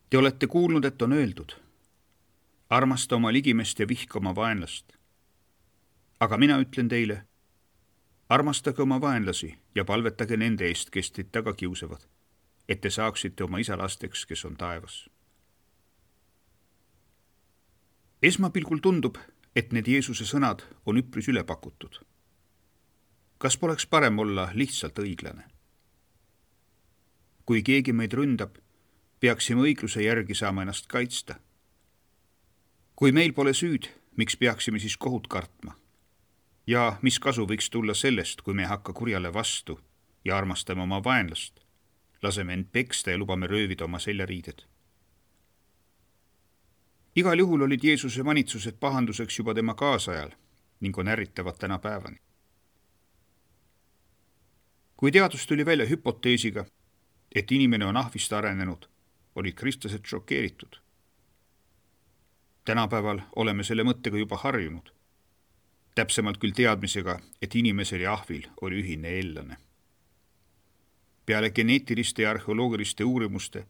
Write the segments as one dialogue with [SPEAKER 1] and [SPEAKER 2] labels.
[SPEAKER 1] Te olete kuulnud, et on öeldud, armasta oma ligimest ja vihka oma vaenlast. Aga mina ütlen teile, armastage oma vaenlasi ja palvetage nende eest, kes teid taga kiusavad, et te saaksite oma isa lasteks, kes on taevas. Esmapilgul tundub, et need Jeesuse sõnad on üpris ülepakutud. Kas poleks parem olla lihtsalt õiglane? Kui keegi meid ründab, peaksime õigluse järgi saama ennast kaitsta. Kui meil pole süüd, miks peaksime siis kohut kartma? Ja mis kasu võiks tulla sellest, kui me ei hakka kurjale vastu ja armastame oma vaenlast, laseme end peksta ja lubame röövida oma seljariided? Igal juhul olid Jeesuse manitsused pahanduseks juba tema kaasajal ning on ärritavad tänapäevani. Kui teadus tuli välja hüpoteesiga, et inimene on ahvist arenenud, olid kristlased šokeeritud. Tänapäeval oleme selle mõttega juba harjunud. Täpsemalt küll teadmisega, et inimesel ja ahvil oli ühine eellane. Peale geneetiliste ja arheoloogiliste uurimuste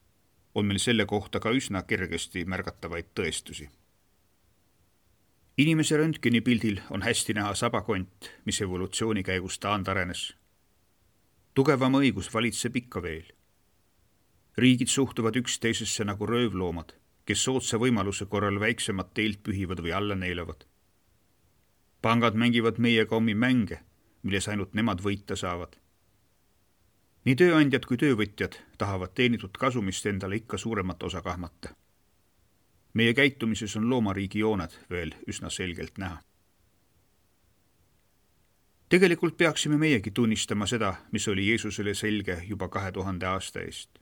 [SPEAKER 1] on meil selle kohta ka üsna kergesti märgatavaid tõestusi. Inimese röntgenipildil on hästi näha sabakont, mis evolutsiooni käigus taandarenes. Tugevama õigus valitseb ikka veel. Riigid suhtuvad üksteisesse nagu röövloomad, kes soodsa võimaluse korral väiksemat teelt pühivad või alla neelavad. Pangad mängivad meiega omi mänge, milles ainult nemad võita saavad. Nii tööandjad kui töövõtjad tahavad teenitud kasumist endale ikka suuremat osa kahmata. Meie käitumises on loomariigi jooned veel üsna selgelt näha. Tegelikult peaksime meiegi tunnistama seda, mis oli Jeesusele selge juba 2000 aasta eest.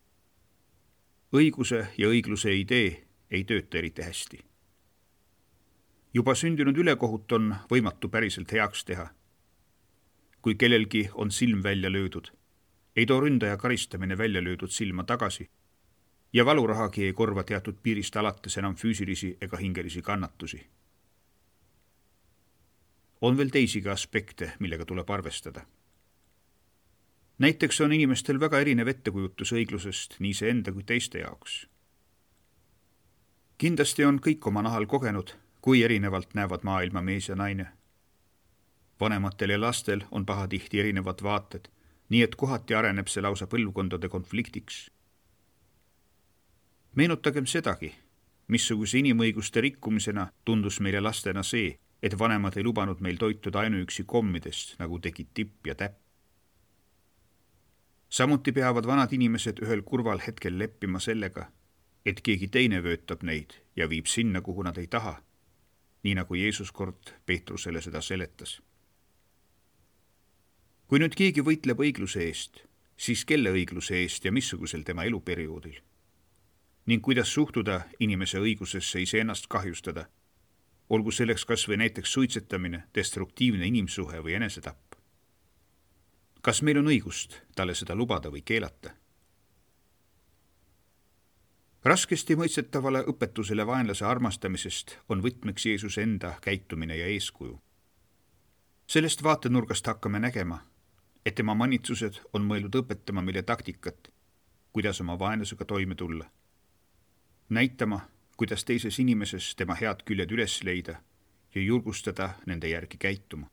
[SPEAKER 1] Õiguse ja õigluse idee ei tööta eriti hästi. Juba sündinud ülekohut on võimatu päriselt heaks teha. Kui kellelgi on silm välja löödud, ei too ründaja karistamine välja löödud silma tagasi ja valurahagi ei korva teatud piirist alates enam füüsilisi ega hingelisi kannatusi. On veel teisigi aspekte, millega tuleb arvestada. Näiteks on inimestel väga erinev ettekujutus õiglusest nii see enda kui teiste jaoks. Kindlasti on kõik oma nahal kogenud, kui erinevalt näevad maailma mees ja naine. Vanematel ja lastel on pahatihti erinevad vaated, nii et kohati areneb see lausa põlvkondade konfliktiks. Meenutagem sedagi, missuguse inimõiguste rikkumisena tundus meile lastena see, et vanemad ei lubanud meil toituda ainuüksi kommidest, nagu tegid tipp ja täpp. Samuti peavad vanad inimesed ühel kurval hetkel leppima sellega, et keegi teine vöötab neid ja viib sinna, kuhu nad ei taha, nii nagu Jeesus kord Peetrusele seda seletas. Kui nüüd keegi võitleb õigluse eest, siis kelle õigluse eest ja missugusel tema eluperioodil? Ning kuidas suhtuda inimese õigusesse iseennast kahjustada, olgu selleks kas või näiteks suitsetamine, destruktiivne inimsuhe või enesetapp? Kas meil on õigust talle seda lubada või keelata? Raskesti mõistetavale õpetusele vaenlase armastamisest on võtmeks Jeesuse enda käitumine ja eeskuju. Sellest vaatenurgast hakkame nägema, et tema manitsused on mõeldud õpetama meile taktikat, kuidas oma vaenlasega toime tulla. Näitama, kuidas teises inimeses tema head küljed üles leida ja julgustada nende järgi käituma.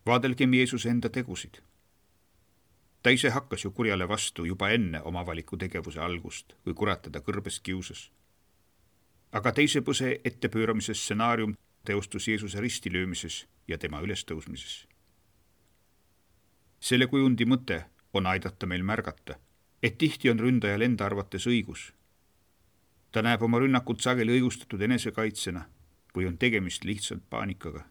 [SPEAKER 1] Vaadelgem Jeesuse enda tegusid. Ta ise hakkas ju kurjale vastu juba enne oma avaliku tegevuse algust, kui kurat teda kõrbes kiusas. Aga teise põse ettepööramise stsenaarium teostus Jeesuse ristilöömises ja tema ülestõusmises. Selle kujundi mõte on aidata meil märgata, et tihti on ründajal enda arvates õigus. Ta näeb oma rünnakut sageli õigustatud enesekaitsena või on tegemist lihtsalt paanikaga.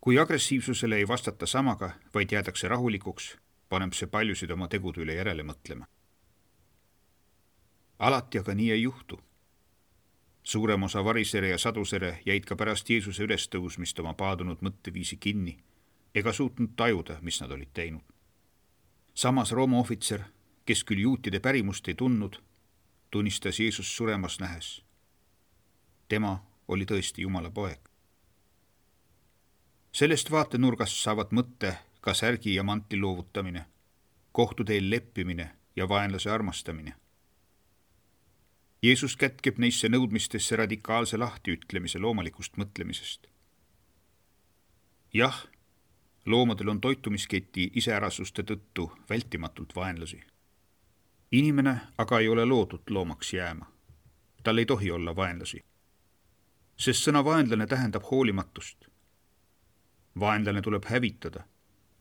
[SPEAKER 1] Kui agressiivsusele ei vastata samaga, vaid jäädakse rahulikuks, paneb see paljusid oma tegude üle järele mõtlema. Alati aga nii ei juhtu. Suurem osa varisere ja sadusere jäid ka pärast Jeesuse ülestõusmist oma paadunud mõtteviisi kinni ega suutnud tajuda, mis nad olid teinud. Samas Rooma ohvitser, kes küll juutide pärimust ei tundnud, tunnistas Jeesus suremas nähes. Tema oli tõesti Jumala poeg. Sellest vaatenurgast saavad mõtte ka särgi ja mantli loovutamine, kohtuteel leppimine ja vaenlase armastamine. Jeesus kätkeb neisse nõudmistesse radikaalse lahtiütlemise loomalikust mõtlemisest. Jah, loomadel on toitumisketi iseärasuste tõttu vältimatult vaenlasi. Inimene aga ei ole loodud loomaks jääma. Tal ei tohi olla vaenlasi. Sest sõna vaenlane tähendab hoolimatust. Vaenlane tuleb hävitada.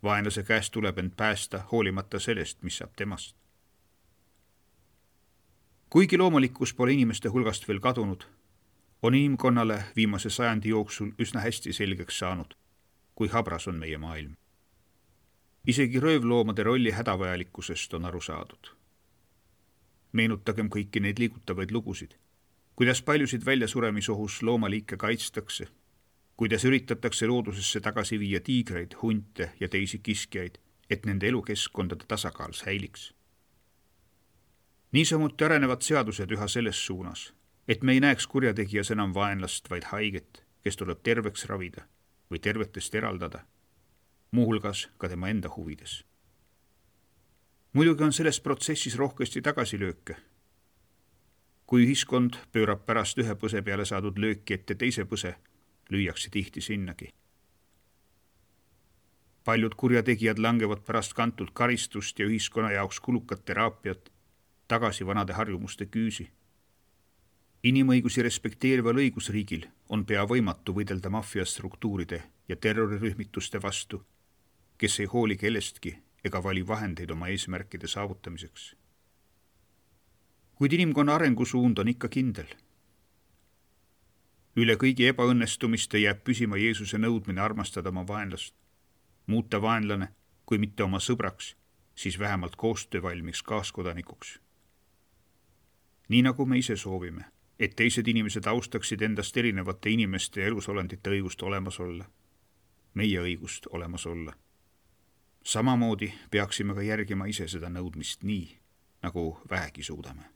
[SPEAKER 1] Vaenlase käest tuleb end päästa hoolimata sellest, mis saab temast. Kuigi loomalikkus pole inimeste hulgast veel kadunud, on inimkonnale viimase sajandi jooksul üsna hästi selgeks saanud, kui habras on meie maailm. Isegi röövloomade rolli hädavajalikkusest on aru saadud. Meenutagem kõiki neid liigutavaid lugusid, kuidas paljusid väljasuremisohus loomaliike kaitstakse, kuidas üritatakse loodusesse tagasi viia tiigreid, hunte ja teisi kiskjaid, et nende elukeskkondade tasakaal säiliks. Niisamuti arenevad seadused üha selles suunas, et me ei näeks kurjategijas enam vaenlast, vaid haiget, kes tuleb terveks ravida või tervetest eraldada, muuhulgas ka tema enda huvides. Muidugi on selles protsessis rohkesti tagasilööke. Kui ühiskond pöörab pärast ühe põse peale saadud lööki ette teise põse, lüüakse tihti sinnagi. Paljud kurjategijad langevad pärast kantult karistust ja ühiskonna jaoks kulukat teraapiat tagasi vanade harjumuste küüsi. Inimõigusi respekteerival õigusriigil on pea võimatu võidelda maffiastruktuuride ja terrorirühmituste vastu, kes ei hooli kellestki ega vali vahendeid oma eesmärkide saavutamiseks. Kuid inimkonna arengusuund on ikka kindel. Üle kõigi ebaõnnestumiste jääb püsima Jeesuse nõudmine armastada oma vaenlast, muuta vaenlane, kui mitte oma sõbraks, siis vähemalt koostöövalmiks kaaskodanikuks. Nii nagu me ise soovime, et teised inimesed austaksid endast erinevate inimeste ja elusolendite õigust olemas olla, meie õigust olemas olla. Samamoodi peaksime ka järgima ise seda nõudmist nii, nagu vähegi suudame.